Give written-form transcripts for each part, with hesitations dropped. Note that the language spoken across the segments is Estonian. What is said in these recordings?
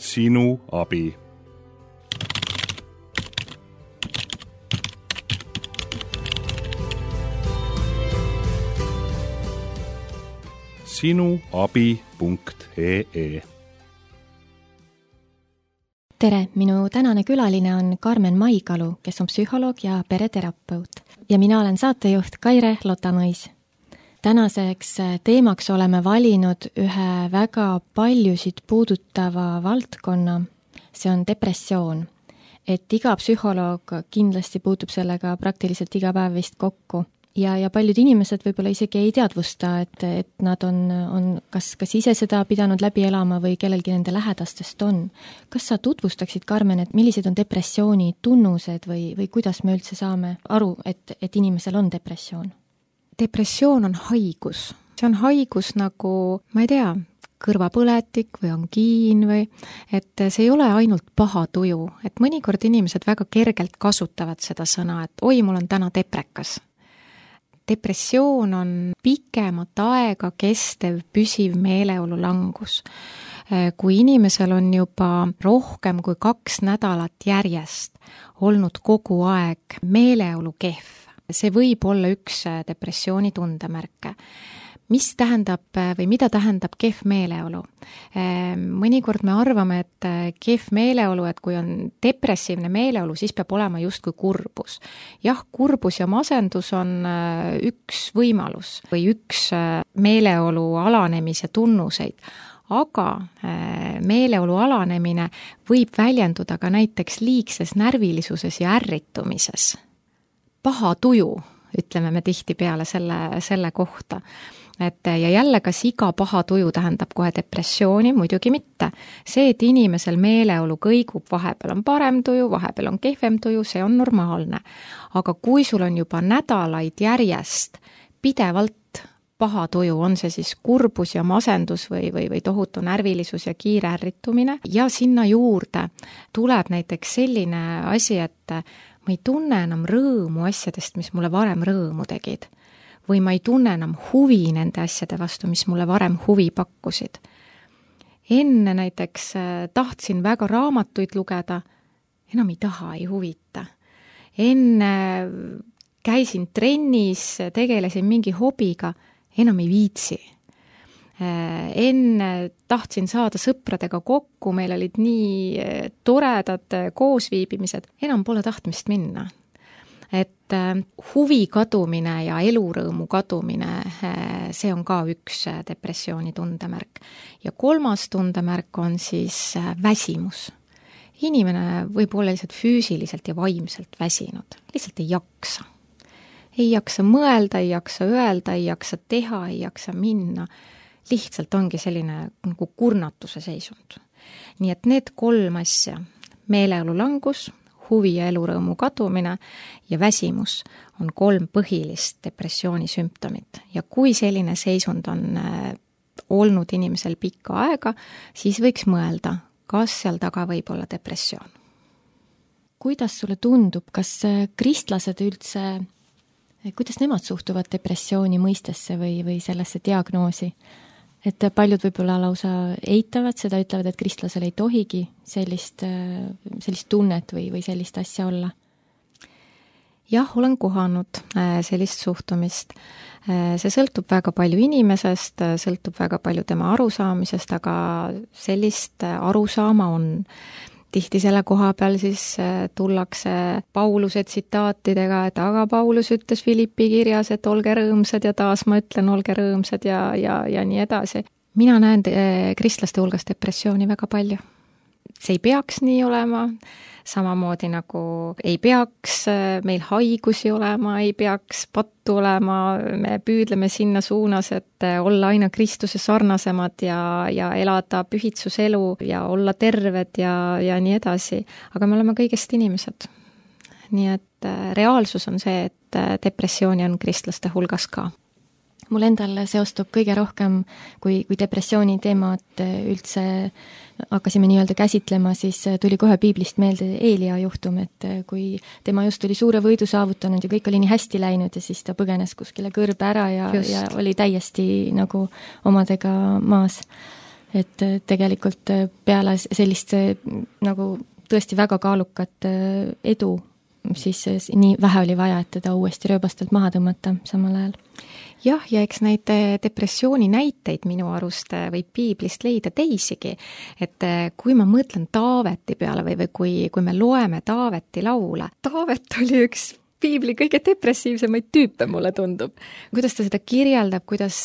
Sinu abi. sinuabi.ee. Tere, minu tänane külaline on Karmen Maigalu, kes on psühholoog ja pereterapeut. Ja mina olen saatejuht Kaire Lotamõis. Tänaseks teemaks oleme valinud ühe väga paljusid puudutava valdkonna. See on depressioon. Et iga psühholoog kindlasti puutub sellega praktiliselt iga päev vist kokku. Ja paljud inimesed võib-olla isegi ei teadvusta, et nad on kas ise seda pidanud läbi elama või kellelgi nende lähedastest on. Kas sa tutvustaksid, Karmen, et millised on depressiooni tunnused või kuidas me üldse saame aru, et inimesel on depressioon? Depressioon on haigus. See on haigus nagu, ma ei tea, kõrvapõletik või angiin või, et see ei ole ainult paha tuju. Et mõnikord inimesed väga kergelt kasutavad seda sõna, et oi, mul on täna deprekas. Depressioon on pikemat aega kestev püsiv meeleolu langus. Kui inimesel on juba rohkem kui 2 nädalat järjest olnud kogu aeg meeleolu kehv, see võib olla üks depressiooni tundemärke. Mis tähendab või mida tähendab kehv meeleolu? Mõnikord me arvame, et kehv meeleolu, et kui on depressiivne meeleolu, siis peab olema justkui kurbus. Jah, kurbus ja masendus on üks võimalus või üks meeleolu alanemise tunnuseid, aga meeleolu alanemine võib väljenduda ka näiteks liigses närvilisuses ja ärritumises. Paha tuju, ütleme me tihtipeale selle kohta. Ja jälle, kas iga paha tuju tähendab kohe depressiooni? Muidugi mitte. See, et inimesel meeleolu kõigub, vahepeal on parem tuju, vahepeal on kehvem tuju, see on normaalne. Aga kui sul on juba nädalaid järjest pidevalt paha tuju, on see siis kurbus ja masendus või tohutu närvilisus ja kiire ärritumine, ja sinna juurde tuleb näiteks selline asi, et ma ei tunne enam rõõmu asjadest, mis mulle varem rõõmu tegid. Või ma ei tunne enam huvi nende asjade vastu, mis mulle varem huvi pakkusid. Enne näiteks tahtsin väga raamatuid lugeda, enam ei taha, ei huvita. Enne käisin trennis, tegelesin mingi hobiga, enam ei viitsi. Enne tahtsin saada sõpradega kokku, meil olid nii toredad koosviibimised, enam pole tahtmist minna. Et huvi kadumine ja elurõõmu kadumine, see on ka üks depressiooni tundemärk. Ja 3. tundemärk on siis väsimus. Inimene võib olla lihtsalt füüsiliselt ja vaimselt väsinud, lihtsalt ei jaksa. Ei jaksa mõelda, ei jaksa öelda, ei jaksa teha, ei jaksa minna. Lihtsalt ongi selline nagu kurnatuse seisund. Nii et need 3 asja, meeleolu langus, huvi ja elurõõmu kadumine ja väsimus on 3 põhilist depressiooni sümptomit. Ja kui selline seisund on olnud inimesel pikka aega, siis võiks mõelda, kas seal taga võib olla depressioon. Kuidas sulle tundub, kas kristlased üldse, kuidas nemad suhtuvad depressiooni mõistesse või sellesse diagnoosi? Et paljud võib-olla lausa eitavad seda, ütlevad, et kristlasel ei tohigi sellist tunnet või sellist asja olla. Jah, olen kohanud sellist suhtumist. See sõltub väga palju inimesest, sõltub väga palju tema arusaamisest, aga sellist arusaama on. Tihti selle koha peal siis tullakse Pauluse tsitaatidega, et aga Paulus ütles Filippi kirjas, et olge rõõmsad ja taas ma ütlen, olge rõõmsad ja nii edasi. Mina näen kristlaste hulgas depressiooni väga palju. See ei peaks nii olema, samamoodi nagu ei peaks meil haigusi olema, ei peaks pattu olema, me püüdleme sinna suunas, et olla aina Kristuse sarnasemad ja elada pühitsuselu ja olla terved ja nii edasi. Aga me oleme kõigest inimesed. Nii et reaalsus on see, et depressiooni on kristlaste hulgas ka. Mul endal seostub kõige rohkem, kui depressiooni teemat üldse hakkasime nii-öelda käsitlema, siis tuli kohe piiblist meelde Eelia juhtum, et kui tema just oli suure võidu saavutanud ja kõik oli nii hästi läinud ja siis ta põgenes kuskile kõrbe ära ja oli täiesti nagu omadega maas. et tegelikult peale sellist nagu tõesti väga kaalukat edu, siis nii vähe oli vaja, et teda uuesti rööbastelt maha tõmmata samal ajal. Jah, ja eks neid depressiooni näiteid minu arust võib piiblist leida teisigi, et kui ma mõtlen Taaveti peale või kui me loeme Taaveti laule, Taavet oli üks piibli kõige depressiivsemaid tüüpe, mulle tundub. Kuidas ta seda kirjeldab, kuidas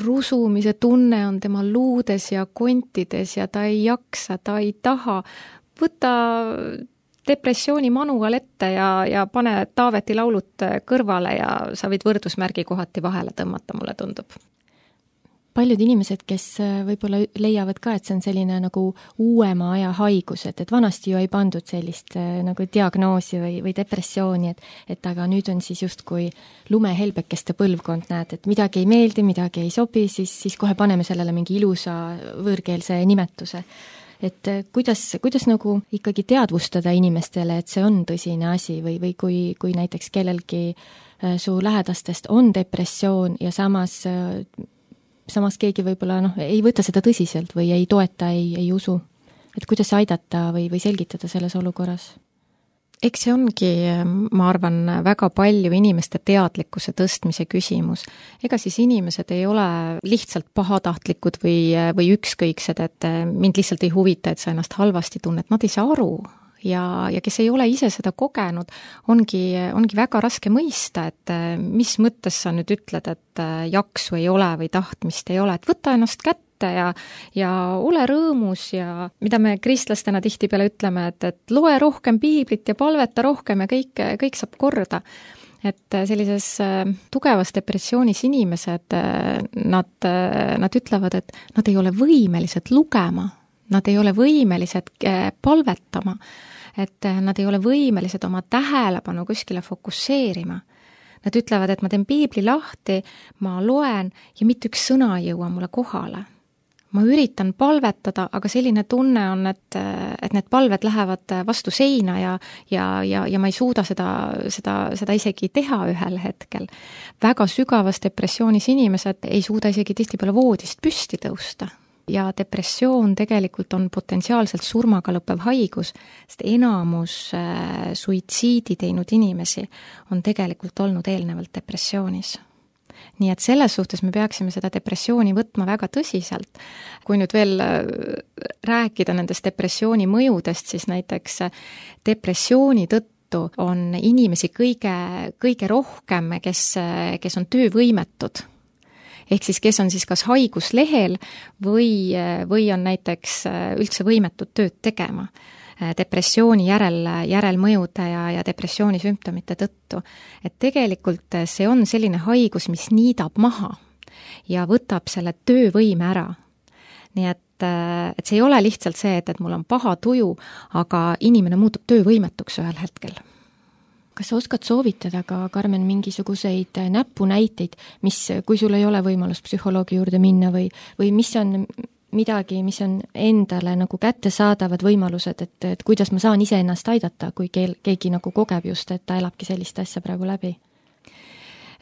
rusumise tunne on tema luudes ja kontides ja ta ei jaksa, ta ei taha. Võta depressiooni manual ette ja pane Taaveti laulut kõrvale ja sa võid võrdusmärgi kohati vahele tõmmata, mulle tundub. Paljud inimesed, kes võib-olla leiavad ka, et see on selline nagu uuema aja haigus, et vanasti ju ei pandud sellist nagu diagnoosi või depressiooni, et aga nüüd on siis justkui lumehelbekeste põlvkond, näed, et midagi ei meeldi, midagi ei sobi, siis kohe paneme sellele mingi ilusa võõrkeelse nimetuse. Et kuidas nagu ikkagi teadvustada inimestele, et see on tõsine asi või kui näiteks kellelgi su lähedastest on depressioon ja samas keegi võib-olla ei võta seda tõsiselt või ei toeta, ei usu. Et kuidas aidata või selgitada selles olukorras? Eks see ongi, ma arvan, väga palju inimeste teadlikkuse tõstmise küsimus. Ega siis inimesed ei ole lihtsalt pahatahtlikud või ükskõiksed, et mind lihtsalt ei huvita, et sa ennast halvasti tunned. Nad ei saa aru ja kes ei ole ise seda kogenud, ongi väga raske mõista, et mis mõttes sa nüüd ütled, et jaksu ei ole või tahtmist ei ole, et võta ennast kätte ja ole rõõmus ja mida me kristlastena tihtipeale ütleme, et loe rohkem piiblit ja palveta rohkem ja kõik saab korda. Et sellises tugevas depressioonis inimesed, nad ütlevad, et nad ei ole võimelised lugema, nad ei ole võimelised palvetama, et nad ei ole võimelised oma tähelepanu kuskile fokusseerima. Nad ütlevad, et ma teen piibli lahti, ma loen ja mitte üks sõna ei jõua mulle kohale. Ma üritan palvetada, aga selline tunne on, et need palved lähevad vastu seina ja ma ei suuda seda isegi teha ühel hetkel. Väga sügavas depressioonis inimesed ei suuda isegi tihtipeale voodist püsti tõusta. Ja depressioon tegelikult on potentsiaalselt surmaga lõppev haigus, sest enamus suitsiidi teinud inimesi on tegelikult olnud eelnevalt depressioonis. Nii et selles suhtes me peaksime seda depressiooni võtma väga tõsiselt. Kui nüüd veel rääkida nendest depressiooni mõjudest, siis näiteks depressiooni tõttu on inimesi kõige rohkem, kes on töövõimetud. Ehk siis, kes on siis kas haiguslehel või on näiteks üldse võimetud tööd tegema depressiooni järelmõjude ja depressiooni sümptomite tõttu. Et tegelikult see on selline haigus, mis niidab maha ja võtab selle töövõime ära. Nii et see ei ole lihtsalt see, et mul on paha tuju, aga inimene muutub töövõimetuks ühel hetkel. Kas sa oskad soovitada ka, Karmen, mingisuguseid näpunäiteid, kui sul ei ole võimalus psühholoogi juurde minna või mis on midagi, mis on endale nagu kättesaadavad võimalused, et kuidas ma saan ise ennast aidata, kui keegi nagu kogeb just, et ta elabki sellist asja praegu läbi?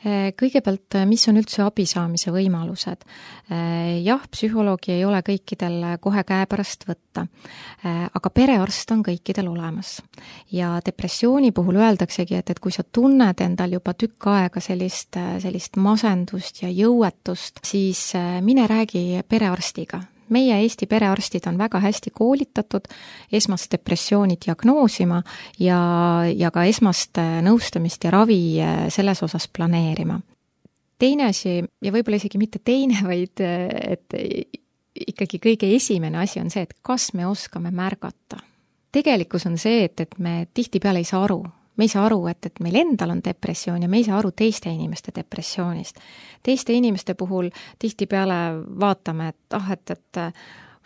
Kõigepealt, mis on üldse abi saamise võimalused? Jah, psühholoogi ei ole kõikidel kohe käepärast võtta, aga perearst on kõikidel olemas. Ja depressiooni puhul öeldaksegi, et kui sa tunned endal juba tükk aega sellist masendust ja jõuetust, siis mine räägi perearstiga. Meie Eesti perearstid on väga hästi koolitatud esmast depressiooni diagnoosima ja ka esmast nõustamist ja ravi selles osas planeerima. Teine asi, ja võib-olla isegi mitte teine, vaid et ikkagi kõige esimene asi on see, et kas me oskame märgata. Tegelikkus on see, et me tihtipeale ei saa aru. Me ei saa aru, et meil endal on depressioon ja me ei saa aru teiste inimeste depressioonist. Teiste inimeste puhul tihtipeale vaatame, et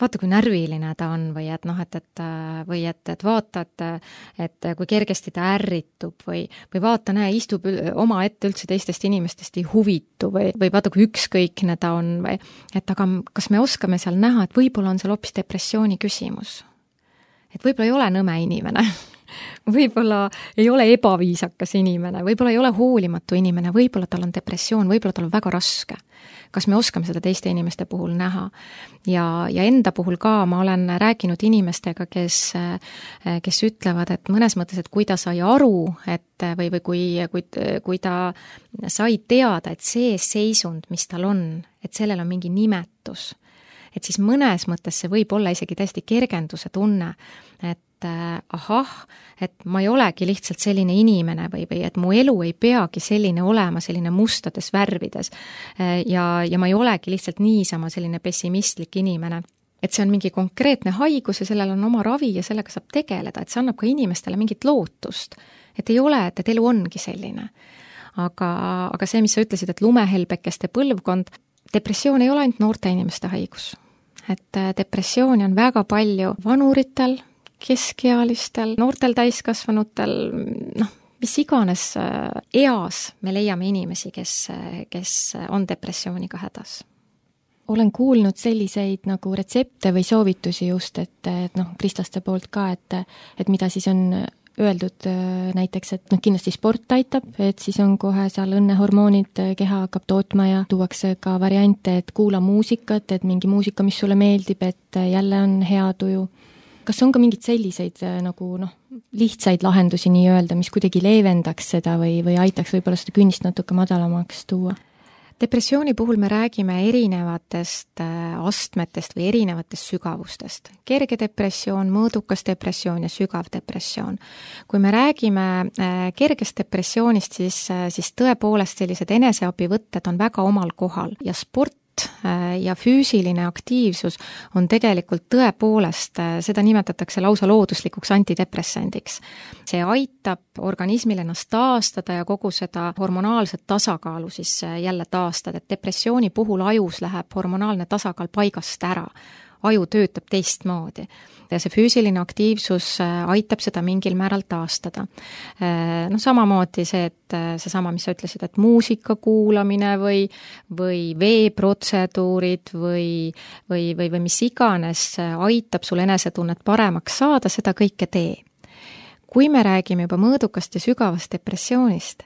vaata, kui närviline ta on või et vaata, et kui kergesti ta ärritub või vaata, istub oma ette üldse teistest inimestest ei huvitu või vaata, kui ükskõikne ta on et aga kas me oskame seal näha, et võib-olla on seal hoopis depressiooni küsimus. Et võib-olla ei ole nõme inimene võib-olla ei ole ebaviisakas inimene, võib-olla ei ole hoolimatu inimene, võib-olla tal on depressioon, võib-olla tal on väga raske. Kas me oskame seda teiste inimeste puhul näha? Ja enda puhul ka ma olen rääkinud inimestega, kes ütlevad, et mõnes mõttes, et kui ta sai aru, et või kui ta sai teada, et see seisund, mis tal on, et sellel on mingi nimetus, et siis mõnes mõttes see võib olla isegi täiesti kergenduse tunne, et ahah, et ma ei olegi lihtsalt selline inimene või et mu elu ei peagi selline olema, selline mustades värvides ja ma ei olegi lihtsalt niisama selline pessimistlik inimene. Et see on mingi konkreetne haigus ja sellel on oma ravi ja sellega saab tegeleda, et see annab ka inimestele mingit lootust. Et ei ole, et elu ongi selline. Aga see, mis sa ütlesid, et lumehelbekeste põlvkond, depressioon ei ole ainult noorte inimeste haigus. Et depressiooni on väga palju vanuritel, keskealistel, noortel täiskasvanutel, mis iganes eas me leiame inimesi, kes on depressiooniga hädas. Olen kuulnud selliseid nagu retsepte või soovitusi just, et kristlaste poolt ka, et mida siis on öeldud näiteks, et kindlasti sport aitab, et siis on kohe seal õnnehormoonid, keha hakkab tootma ja tuuakse ka variante, et kuula muusikat, et mingi muusika, mis sulle meeldib, et jälle on hea tuju. Kas on ka mingid selliseid nagu lihtsaid lahendusi nii-öelda, mis kuidagi leevendaks seda või aitaks võib-olla seda künnist natuke madalamaks tuua? Depressiooni puhul me räägime erinevatest astmetest või erinevatest sügavustest. Kerge depressioon, mõõdukas depressioon ja sügav depressioon. Kui me räägime kergest depressioonist, siis tõepoolest sellised eneseabivõtted on väga omal kohal ja sport ja füüsiline aktiivsus on tegelikult tõepoolest, seda nimetatakse lausa looduslikuks antidepressandiks. See aitab organismil ennast taastada ja kogu seda hormonaalset tasakaalu siis jälle taastada, et depressiooni puhul ajus läheb hormonaalne tasakaal paigast ära. Aju töötab teistmoodi ja see füüsiline aktiivsus aitab seda mingil määral taastada. Samamoodi see, et seesama, mis sa ütlesid, et muusika kuulamine või veeprotseduurid või mis iganes aitab sul enesetunnet paremaks saada, seda kõike tee. Kui me räägime juba mõõdukast ja sügavast depressioonist,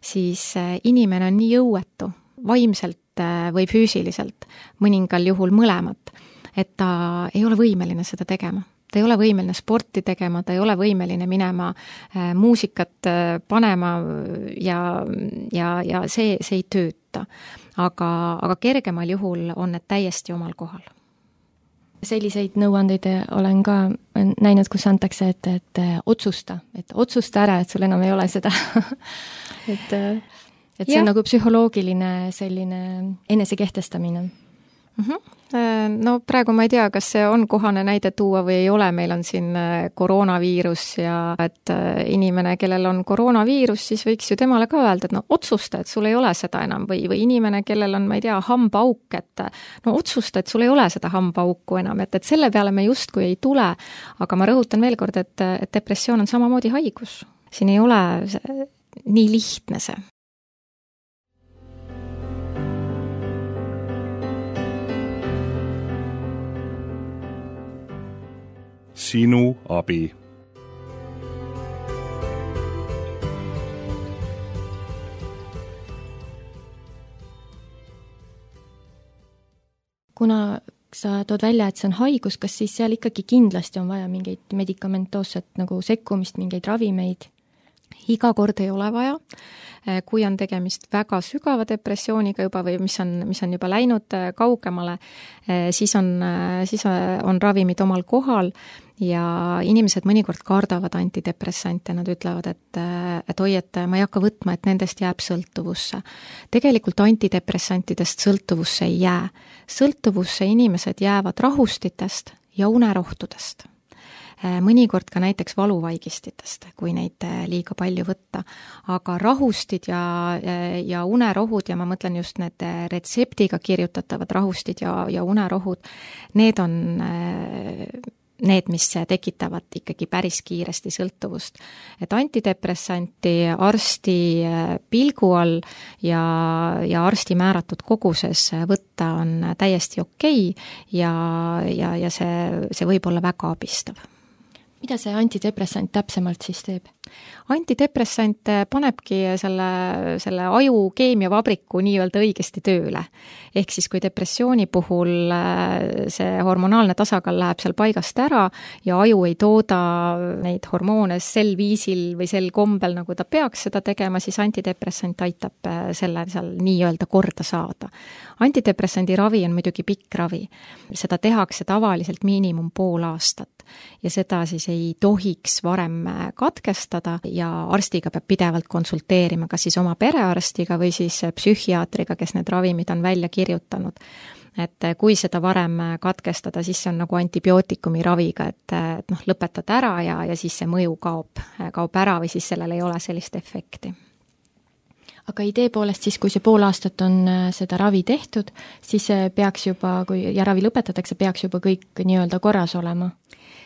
siis inimene on nii jõuetu, vaimselt või füüsiliselt, mõningal juhul mõlemat, et ta ei ole võimeline seda tegema. Ta ei ole võimeline sporti tegema, ta ei ole võimeline minema muusikat panema ja see ei tööta. Aga kergemal juhul on need täiesti omal kohal. Selliseid nõuandeid olen ka näinud, kus antakse, et otsusta ära, et sul enam ei ole seda. et see on nagu psühholoogiline selline enesekehtestamine. No praegu ma ei tea, kas see on kohane näide tuua või ei ole, meil on siin koroonaviirus ja et inimene, kellel on koroonaviirus, siis võiks ju temale ka öelda, et otsusta, et sul ei ole seda enam või inimene, kellel on, ma ei tea, hambaauk, et otsusta, et sul ei ole seda hambaauku enam, et selle peale me justkui ei tule, aga ma rõhutan veel kord, et depressioon on samamoodi haigus. Siin ei ole nii lihtne see. Sinu abi. Kuna sa tood välja, et see on haigus, kas siis seal ikkagi kindlasti on vaja mingeid medikamentoosset nagu sekkumist, mingeid ravimeid? Iga kord ei ole vaja. Kui on tegemist väga sügava depressiooniga juba või mis on juba läinud kaugemale, siis on ravimid omal kohal ja inimesed mõnikord kardavad antidepressante, nad ütlevad, et oi, et ma ei hakka võtma, et nendest jääb sõltuvusse. Tegelikult antidepressantidest sõltuvusse ei jää. Sõltuvusse inimesed jäävad rahustitest ja unerohtudest. Mõnikord ka näiteks valuvaigistitest, kui neid liiga palju võtta. Aga rahustid ja unerohud, ja ma mõtlen just need retseptiga kirjutatavad rahustid ja unerohud, need on need, mis tekitavad ikkagi päris kiiresti sõltuvust. Et antidepressanti arsti pilgu all ja arsti määratud koguses võtta on täiesti okei ja see võib olla väga abistav. mida see antidepressant täpsemalt siis teeb? Antidepressant panebki selle aju keemiavabriku nii-öelda õigesti tööle. Ehk siis, kui depressiooni puhul see hormonaalne tasakaal läheb seal paigast ära ja aju ei tooda neid hormoone sel viisil või sel kombel, nagu ta peaks seda tegema, siis antidepressant aitab selle seal nii-öelda korda saada. Antidepressandi ravi on muidugi pikk ravi. Seda tehakse tavaliselt miinimum pool aastat ja seda siis ei tohiks varem katkestada ja arstiga peab pidevalt konsulteerima, kas siis oma perearstiga või siis psühhiaatriga, kes need ravimid on välja kirjutanud. Et kui seda varem katkestada, siis see on nagu antibiootikumi raviga, et lõpetad ära ja siis see mõju kaob ära või siis sellel ei ole sellist efekti. Aga idee poolest siis, kui see pool aastat on seda ravi tehtud, siis peaks juba, ja ravi lõpetatakse, peaks juba kõik nii-öelda korras olema?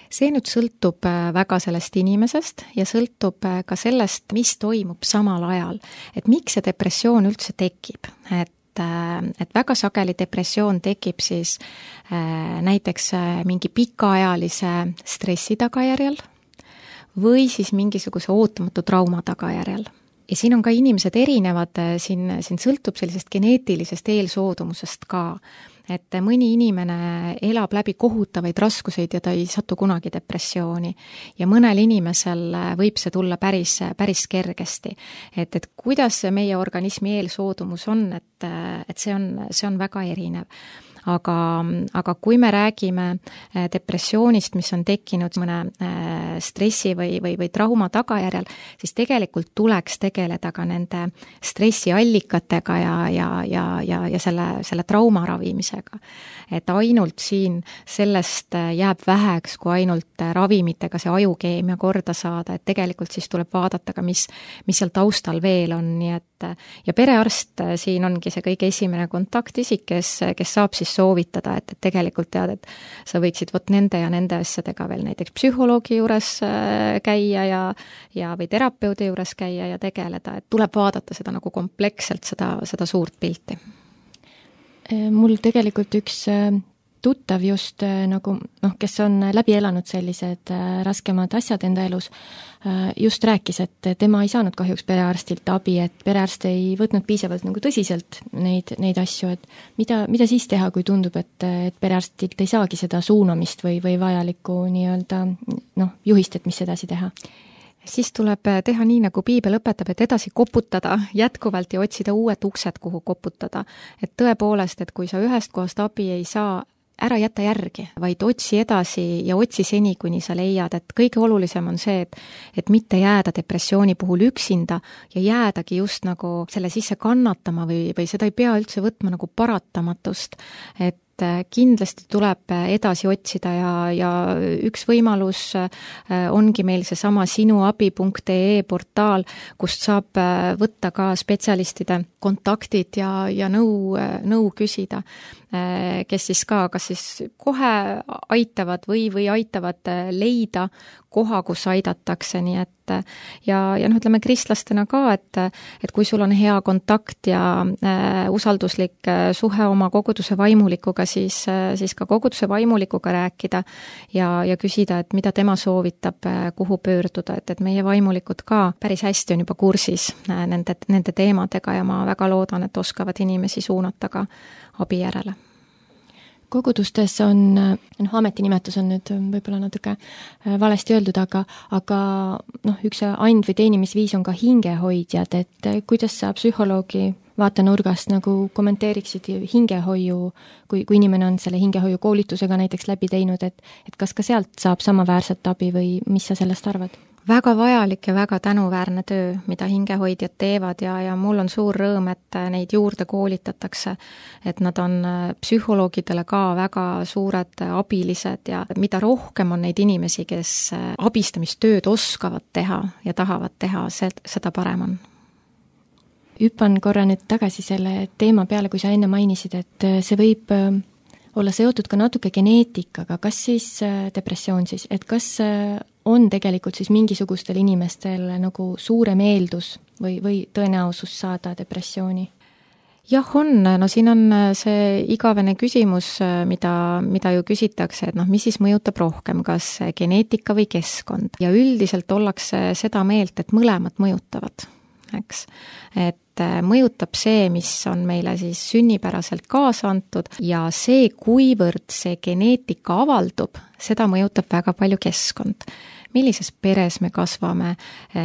See nüüd sõltub väga sellest inimesest ja sõltub ka sellest, mis toimub samal ajal. Et miks see depressioon üldse tekib? Et väga sageli depressioon tekib siis näiteks mingi pikaajalise stressi tagajärjel või siis mingisuguse ootamatu trauma tagajärjel. Ja siin on ka inimesed erinevad, siin sõltub sellisest geneetilisest eelsoodumusest ka, et mõni inimene elab läbi kohutavaid raskuseid ja ta ei satu kunagi depressiooni. Ja mõnel inimesel võib see tulla päris kergesti. Et kuidas meie organismi eelsoodumus on, et see on väga erinev. Aga kui me räägime depressioonist, mis on tekkinud mõne stressi või trauma tagajärjel, siis tegelikult tuleks tegeleda ka nende stressiallikatega ja selle trauma ravimisega. Et ainult siin sellest jääb väheks, kui ainult ravimitega see ajukeemia korda saada, et tegelikult siis tuleb vaadata ka, mis seal taustal veel on, nii et ja perearst siin ongi see kõige esimene kontaktisik, kes saab siis soovitada, et tegelikult tead, et sa võiksid nende ja nende asjadega veel näiteks psühholoogi juures käia ja või terapeudi juures käia ja tegeleda, et tuleb vaadata seda nagu kompleksselt, seda suurt pilti. Mul tegelikult üks tuttav just nagu, kes on läbi elanud sellised raskemad asjad enda elus, just rääkis, et tema ei saanud kahjuks perearstilt abi, et perearst ei võtnud piisavalt nagu tõsiselt neid asju, et mida siis teha, kui tundub, et perearstilt ei saagi seda suunamist või vajalikku nii-öelda juhist, et mis edasi teha? Siis tuleb teha nii, nagu piibel õpetab, et edasi koputada jätkuvalt ja otsida uued uksed, kuhu koputada. Et tõepoolest, et kui sa ühest kohast abi ei saa, ära jätta järgi, vaid otsi edasi ja otsi seni, kuni sa leiad, et kõige olulisem on see, et mitte jääda depressiooni puhul üksinda ja jäädagi just nagu selle sisse kannatama või seda ei pea üldse võtma nagu paratamatust, et kindlasti tuleb edasi otsida ja üks võimalus ongi meil seesama sinuabi.ee portaal, kust saab võtta ka spetsialistide kontaktid ja nõu küsida, kes siis ka kas siis kohe aitavad või aitavad leida koha, kus aidatakse, nii et ja ütleme kristlastena ka, et kui sul on hea kontakt ja usalduslik suhe oma koguduse vaimulikuga, siis ka koguduse vaimulikuga rääkida ja küsida, et mida tema soovitab, kuhu pöörduda, et meie vaimulikud ka päris hästi on juba kursis nende teemadega ja ma väga loodan, et oskavad inimesi suunata ka abi järele. Kogudustes on, ametinimetus on nüüd võib-olla natuke valesti öeldud, aga üks and- või teenimisviis on ka hingehoidjad, et kuidas sa psühholoogi vaatenurgast nagu kommenteeriksid hingehoiu, kui inimene on selle hingehoiu koolitusega näiteks läbi teinud, et kas ka sealt saab samaväärset abi või mis sa sellest arvad? Väga vajalik ja väga tänuväärne töö, mida hingehoidjad teevad ja mul on suur rõõm, et neid juurde koolitatakse, et nad on psühholoogidele ka väga suured abilised ja mida rohkem on neid inimesi, kes abistamistööd oskavad teha ja tahavad teha, seda parem on. Hüppan korra nüüd tagasi selle teema peale, kui sa enne mainisid, et see võib olla seotud ka natuke geneetikaga, kas siis depressioon siis, et kas on tegelikult siis mingisugustel inimestel nagu suurem eeldus või tõenäosus saada depressiooni? jah, on, no siin on see igavene küsimus, mida ju küsitakse, et noh, mis siis mõjutab rohkem, kas geneetika või keskkond. Ja üldiselt ollakse seda meelt, et mõlemad mõjutavad, eks. Et mõjutab see, mis on meile siis sünnipäraselt kaasa antud ja see, kuivõrd see geneetika avaldub, seda mõjutab väga palju keskkond. Millises peres me kasvame,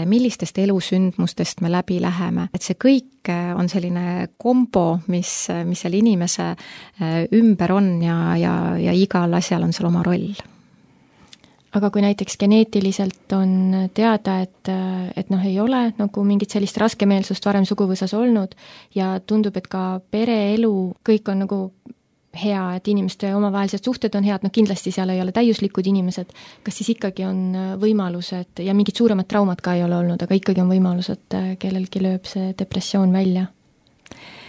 millistest elusündmustest me läbi läheme, et see kõik on selline kombo, mis seal inimese ümber on ja igal asjal on seal oma roll. Aga kui näiteks geneetiliselt on teada, et noh, ei ole nagu mingit sellist raskemeelsust varem suguvõsas olnud ja tundub, et ka pereelu, kõik on nagu hea, et inimeste omavahelised suhted on head, noh kindlasti seal ei ole täiuslikud inimesed, kas siis ikkagi on võimalus, et ja mingid suuremad traumad ka ei ole olnud, aga ikkagi on võimalus, et kellelgi lööb see depressioon välja?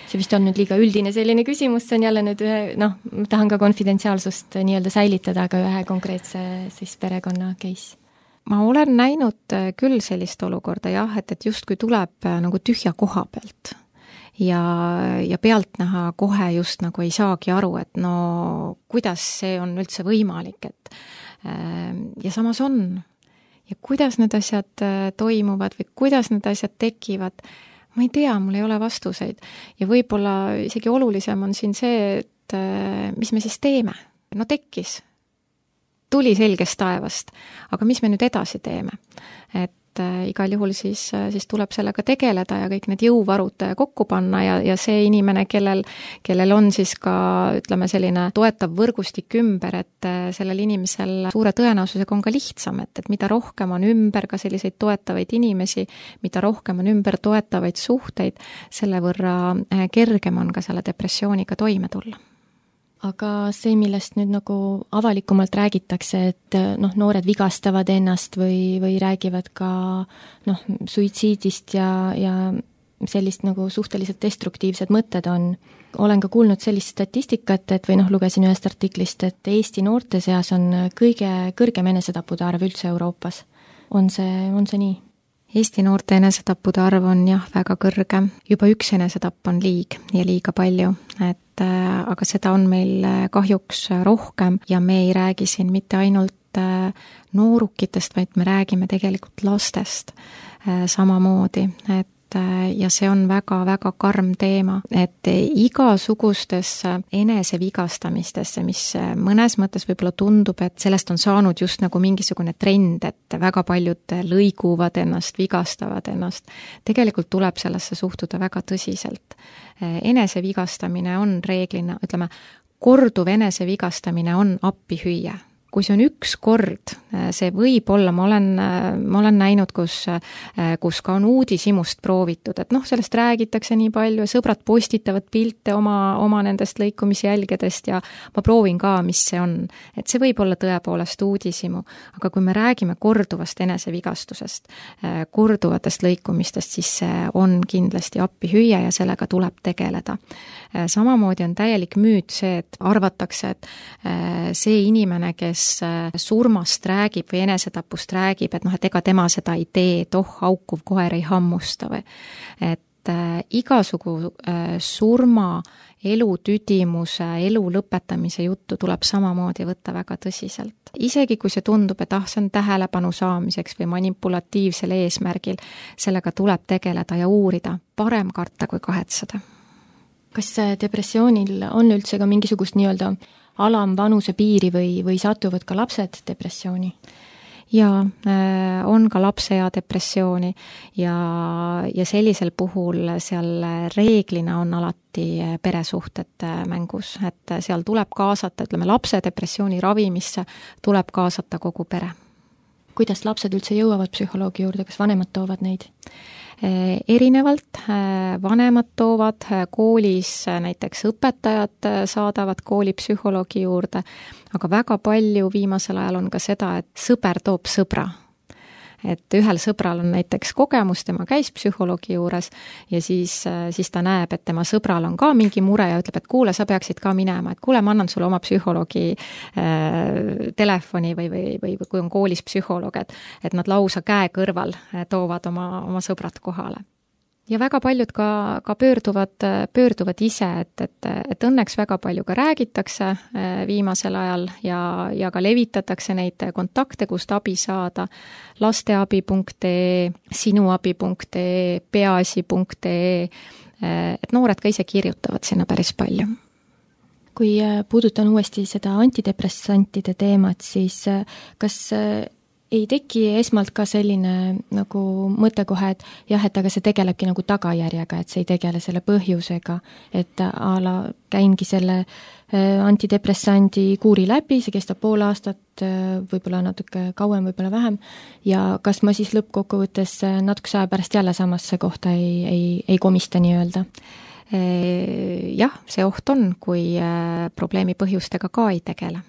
See vist on nüüd liiga üldine selline küsimus, see on jälle nüüd ühe, noh, ma tahan ka konfidentsiaalsust nii-öelda säilitada, aga ühe konkreetse siis perekonna case. Ma olen näinud küll sellist olukorda jah, et justkui tuleb nagu tühja koha pealt ja pealtnäha kohe just nagu ei saagi aru, et no kuidas see on üldse võimalik, et ja samas on. Ja kuidas need asjad toimuvad või kuidas need asjad tekivad, ma ei tea, mul ei ole vastuseid. Ja võib-olla isegi olulisem on siin see, et mis me siis teeme. No tekkis. Tuli selgest taevast. Aga mis me nüüd edasi teeme? Et igal juhul siis tuleb sellega tegeleda ja kõik need jõuvarud kokku panna ja see inimene, kellel on siis ka, ütleme, selline toetav võrgustik ümber, et sellel inimesel suure tõenäosusega on ka lihtsam, et mida rohkem on ümber ka selliseid toetavaid inimesi, mida rohkem on ümber toetavaid suhteid, selle võrra kergem on ka selle depressiooniga toime tulla. Aga see, millest nüüd nagu avalikumalt räägitakse, et noh, noored vigastavad ennast või räägivad ka noh, suitsiidist ja sellist nagu suhteliselt destruktiivsed mõtted on. Olen ka kuulnud sellist statistikat, et või noh, lugesin ühest artiklist, et Eesti noorte seas on kõige kõrgem enesetappude arv üldse Euroopas. On see nii? Eesti noorte enesetappude arv on jah, väga kõrge. Juba üks enesetapp on ja liiga palju, aga seda on meil kahjuks rohkem ja me ei räägi siin mitte ainult noorukitest, vaid me räägime tegelikult lastest samamoodi, ja see on väga-väga karm teema, et igasugustesse enesevigastamistesse, mis mõnes mõttes võib-olla tundub, et sellest on saanud just nagu mingisugune trend, et väga paljud lõiguvad ennast, vigastavad ennast. Tegelikult tuleb sellesse suhtuda väga tõsiselt. Enesevigastamine on reeglina, ütleme, korduv enesevigastamine on appihüüe. Kui see on üks kord, see võib olla, ma olen näinud, kus ka on uudishimust proovitud, et noh, sellest räägitakse nii palju, sõbrad postitavad pilte oma nendest lõikumisjälgedest ja ma proovin ka, mis see on. Et see võib olla tõepoolest uudishimu, aga kui me räägime korduvast enesevigastusest, korduvatest lõikumistest, siis see on kindlasti appihüüe ja sellega tuleb tegeleda. Samamoodi on täielik müüt see, et arvatakse, et see inimene, kes surmast räägib või enesetapust räägib, et noh, et ega tema seda ei tee, et haukuv koer ei hammusta või. Et igasugu surma, elu tüdimuse, elu lõpetamise juttu tuleb samamoodi võtta väga tõsiselt. Isegi kui see tundub, et see on tähelepanu saamiseks või manipulatiivsel eesmärgil, sellega tuleb tegeleda ja uurida, parem karta kui kahetseda. Kas depressioonil on üldse ka mingisugust nii-öelda alamvanuse piiri või satuvad ka lapsed depressiooni? Jaa, on ka lapsea depressiooni ja sellisel puhul seal reeglina on alati peresuhted mängus, et seal tuleb kaasata, ütleme, lapse depressiooni ravimisse tuleb kaasata kogu pere. Kuidas lapsed üldse jõuavad psühholoogi juurde, kas vanemad toovad neid? Erinevalt, vanemad toovad koolis, näiteks õpetajad saadavad koolipsühholoogi juurde, aga väga palju viimasel ajal on ka seda, et sõber toob sõbra. Et ühel sõbral on näiteks kogemus, tema käis psühholoogi juures ja siis ta näeb, et tema sõbral on ka mingi mure ja ütleb, et kuule, sa peaksid ka minema, et kuule, ma annan sulle oma psühholoogi telefoni või kui on koolis psühholoog, et nad lausa käe kõrval toovad oma sõbrad kohale. ja väga paljud ka pöörduvad ise, et õnneks väga palju ka räägitakse viimasel ajal ja ka levitatakse neid kontakte, kust abi saada, lasteabi.ee, sinuabi.ee, peaasi.ee, et noored ka ise kirjutavad sinna päris palju. Kui puudutan uuesti seda antidepressantide teemat, siis kas ei teki esmalt ka selline nagu mõte kohe, et jah, et aga see tegelebki nagu tagajärjega, et see ei tegele selle põhjusega, et käingi selle antidepressandi kuuri läbi, see kestab pool aastat, võib-olla natuke kauem, võib-olla vähem, ja kas ma siis lõppkokkuvõttes natukese aja pärast jälle samasse kohta ei komista nii-öelda? Jah, see oht on, kui probleemi põhjustega ka ei tegele.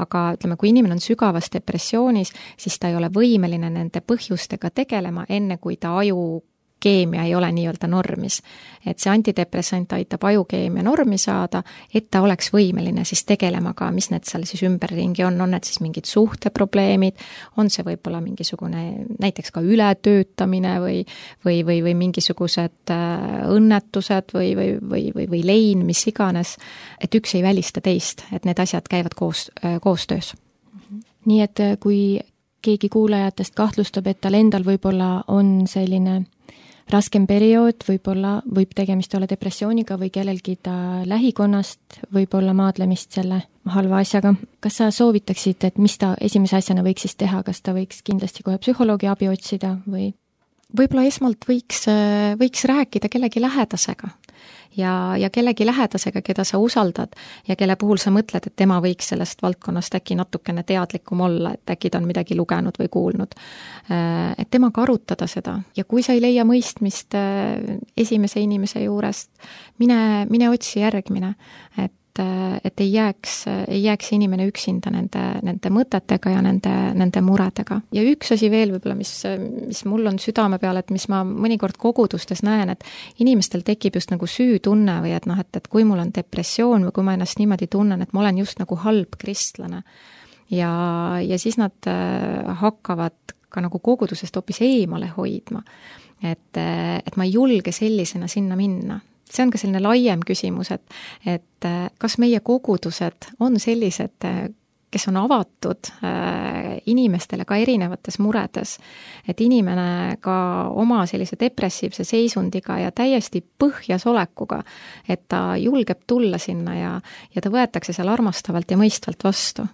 Aga ütleme, kui inimene on sügavas depressioonis, siis ta ei ole võimeline nende põhjustega tegelema, enne kui ta ajukeemia ei ole nii-öelda normis. Et see antidepressant aitab ajukeemia normi saada, et ta oleks võimeline siis tegelema ka, mis need seal siis ümberringi on need siis mingid suhteprobleemid, on see võib-olla mingisugune näiteks ka ületöötamine või mingisugused õnnetused või lein, mis iganes, et üks ei välista teist, et need asjad käivad koostöös. Nii et kui keegi kuulajatest kahtlustab, et tal endal võib-olla on selline raskem periood, võib tegemist olla depressiooniga või kellelgi ta lähikonnast võib-olla maadlemist selle halva asjaga. Kas sa soovitaksid, et mis ta esimese asjana võiks siis teha, kas ta võiks kindlasti kohe psühholoogi abi otsida või? Võib-olla esmalt võiks rääkida kellegi lähedasega ja kellegi lähedasega, keda sa usaldad ja kelle puhul sa mõtled, et tema võiks sellest valdkonnast äkki natukene teadlikum olla, et äkki ta on midagi lugenud või kuulnud. Et temaga arutada seda ja kui sa ei leia mõistmist esimese inimese juurest, mine otsi järgmine, et ei jääks inimene üksinda nende mõtetega ja nende muredega. Ja üks asi veel võib-olla, mis mul on südame peal, et mis ma mõnikord kogudustes näen, et inimestel tekib just nagu süütunne või et kui mul on depressioon või kui ma ennast niimoodi tunnen, et ma olen just nagu halb kristlane. Ja siis nad hakkavad ka nagu kogudusest hoopis eemale hoidma, et ma ei julge sellisena sinna minna. See on ka selline laiem küsimus, et kas meie kogudused on sellised, kes on avatud inimestele ka erinevates muredes, et inimene ka oma sellise depressiivse seisundiga ja täiesti põhjas olekuga, et ta julgeb tulla sinna ja ta võetakse seal armastavalt ja mõistvalt vastu.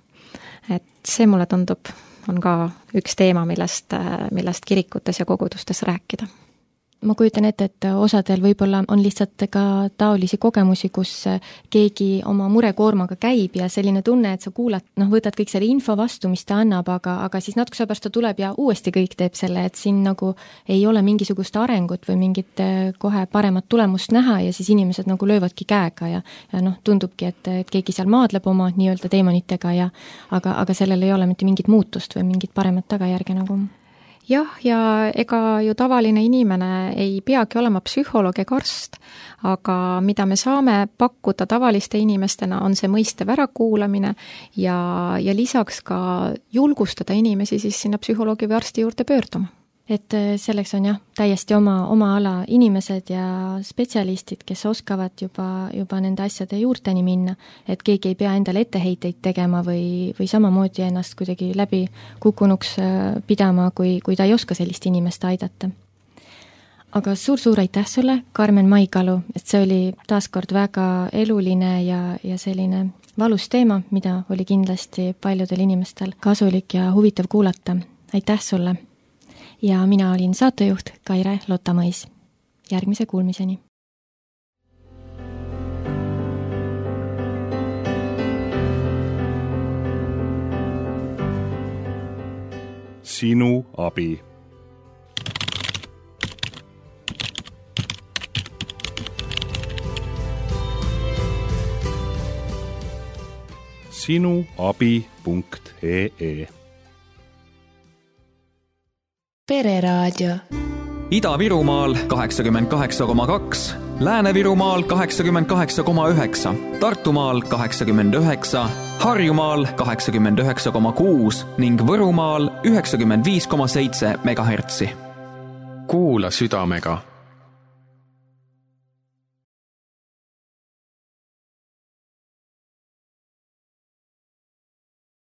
Et see mulle tundub, on ka üks teema, millest kirikutes ja kogudustes rääkida. Ma kujutan ette, et osadel võib-olla on lihtsalt ka taolisi kogemusi, kus keegi oma murekoormaga käib ja selline tunne, et sa kuulad, võtad kõik selle info vastu, mis ta annab, aga siis natuke pärast ta tuleb ja uuesti kõik teeb selle, et siin nagu ei ole mingisugust arengut või mingit kohe paremat tulemust näha ja siis inimesed nagu löövadki käega ja tundubki, et keegi seal maadleb oma nii-öelda teemonitega aga sellel ei ole mitte mingit muutust või mingit paremat tagajärge nagu. Jah, ja ega ju tavaline inimene ei peagi olema psühholoog ega arst, aga mida me saame pakkuda tavaliste inimestena, on see mõistev ärakuulamine ja lisaks ka julgustada inimesi siis sinna psühholoogi või arsti juurde pöörduma. Et selleks on täiesti oma ala inimesed ja spetsialistid, kes oskavad juba nende asjade juurteni minna, et keegi ei pea endale etteheiteid tegema või samamoodi ennast kuidagi läbi kukkunuks pidama, kui ta ei oska sellist inimest aidata. Aga suur aitäh sulle, Karmen Maikalu, et see oli taaskord väga eluline ja selline valus teema, mida oli kindlasti paljudel inimestel kasulik ja huvitav kuulata. Aitäh sulle! Ja mina olin saatejuht Kaire Lottamõis. Järgmise kuulmiseni. Sinu abi. sinuabi.ee Pereraadio. Ida-Virumaal 88,2, Lääne-Virumaal 88,9, Tartumaal 89, Harjumaal 89,6 ning Võrumaal 95,7 MHz. Kuula südamega